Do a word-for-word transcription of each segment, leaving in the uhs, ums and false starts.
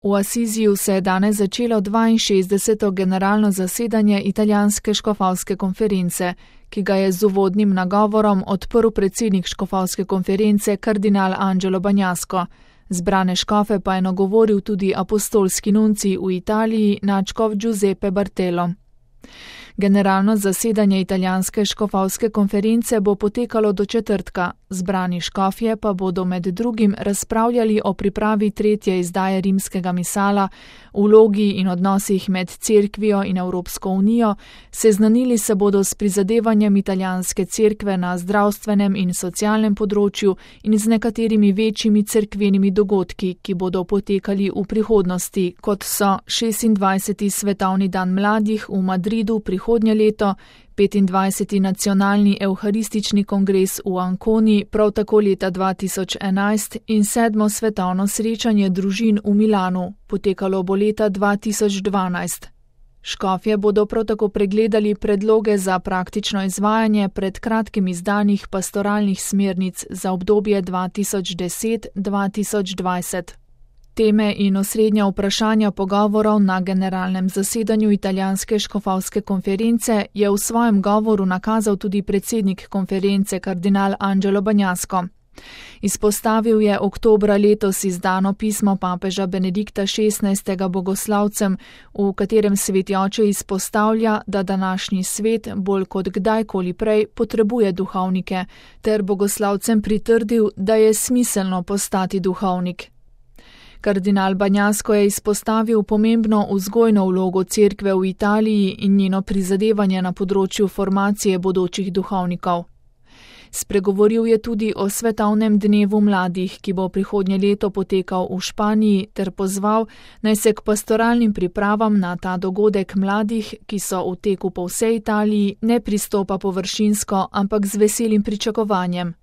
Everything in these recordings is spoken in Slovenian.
V Asiziju se je danes začelo dvainšestdeseto generalno zasedanje italijanske škofovske konference, ki ga je z uvodnim nagovorom odprl predsednik škofovske konference kardinal Angelo Bagnasco. Zbrane škofe pa je nagovoril tudi apostolski nuncij v Italiji nadškof Giuseppe Bartelo. Generalno zasedanje italijanske škofovske konference bo potekalo do četrtka, zbrani škofje pa bodo med drugim razpravljali o pripravi tretje izdaje rimskega misala, vlogi in odnosih med cerkvijo in Evropsko unijo, seznanili se bodo s prizadevanjem italijanske cerkve na zdravstvenem in socialnem področju in z nekaterimi večjimi cerkvenimi dogodki, ki bodo potekali v prihodnosti, kot so šestindvajseti svetovni dan mladih v Madridu prihodnje leto, petindvajseti nacionalni evharistični kongres v Anconi prav tako leta dva tisoč enajst in sedmo svetovno srečanje družin v Milanu, potekalo bo leta dva tisoč dvanajst. Škofje bodo prav tako pregledali predloge za praktično izvajanje pred kratkim izdanih pastoralnih smernic za obdobje dva tisoč deset do dva tisoč dvajset. Teme in osrednja vprašanja pogovorov na generalnem zasedanju italijanske škofovske konference je v svojem govoru nakazal tudi predsednik konference kardinal Angelo Bagnasco. Izpostavil je oktobra letos izdano pismo papeža Benedikta šestnajstega bogoslavcem, v katerem sveti oče izpostavlja, da današnji svet bolj kot kdajkoli prej potrebuje duhovnike, ter bogoslavcem pritrdil, da je smiselno postati duhovnik. Kardinal Bagnasco je izpostavil pomembno vzgojno vlogo cerkve v Italiji in njeno prizadevanje na področju formacije bodočih duhovnikov. Spregovoril je tudi o svetovnem dnevu mladih, ki bo prihodnje leto potekal v Španiji, ter pozval, naj se k pastoralnim pripravam na ta dogodek mladih, ki so v teku po vsej Italiji, ne pristopa površinsko, ampak z veselim pričakovanjem.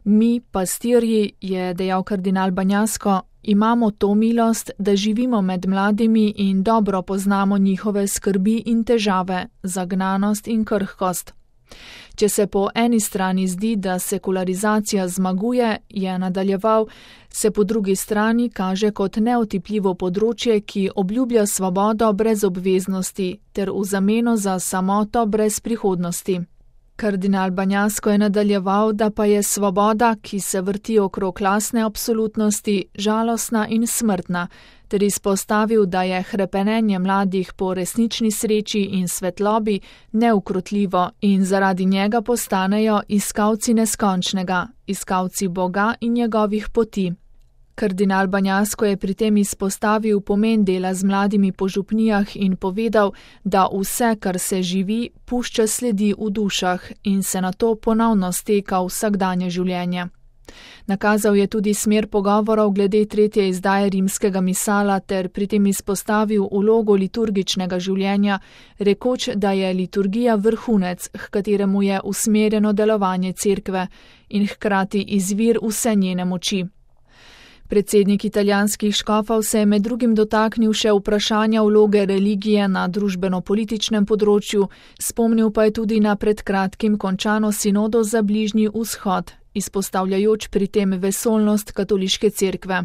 Mi, pastirji, je dejal kardinal Bagnasco, imamo to milost, da živimo med mladimi in dobro poznamo njihove skrbi in težave, zagnanost in krhkost. Če se po eni strani zdi, da sekularizacija zmaguje, je nadaljeval, se po drugi strani kaže kot neotipljivo področje, ki obljublja svobodo brez obveznosti ter v zameno za samoto brez prihodnosti. Kardinal Bagnasco je nadaljeval, da pa je svoboda, ki se vrti okrog lastne absolutnosti, žalostna in smrtna, ter izpostavil, da je hrepenenje mladih po resnični sreči in svetlobi neukrotljivo in zaradi njega postanejo iskalci neskončnega, iskalci Boga in njegovih poti. Kardinal Bagnasco je pri tem izpostavil pomen dela z mladimi po župnijah in povedal, da vse, kar se živi, pušča sledi v dušah in se nato ponovno steka v vsakdanje življenje. Nakazal je tudi smer pogovorov glede tretje izdaje rimskega misala ter pri tem izpostavil vlogo liturgičnega življenja, rekoč, da je liturgija vrhunec, h kateremu je usmerjeno delovanje cerkve in hkrati izvir vse njene moči. Predsednik italijanskih škofov se je med drugim dotaknil še vprašanja vloge religije na družbeno-političnem področju, spomnil pa je tudi na pred kratkim končano sinodo za Bližnji vzhod, izpostavljajoč pri tem vesoljnost katoliške cerkve.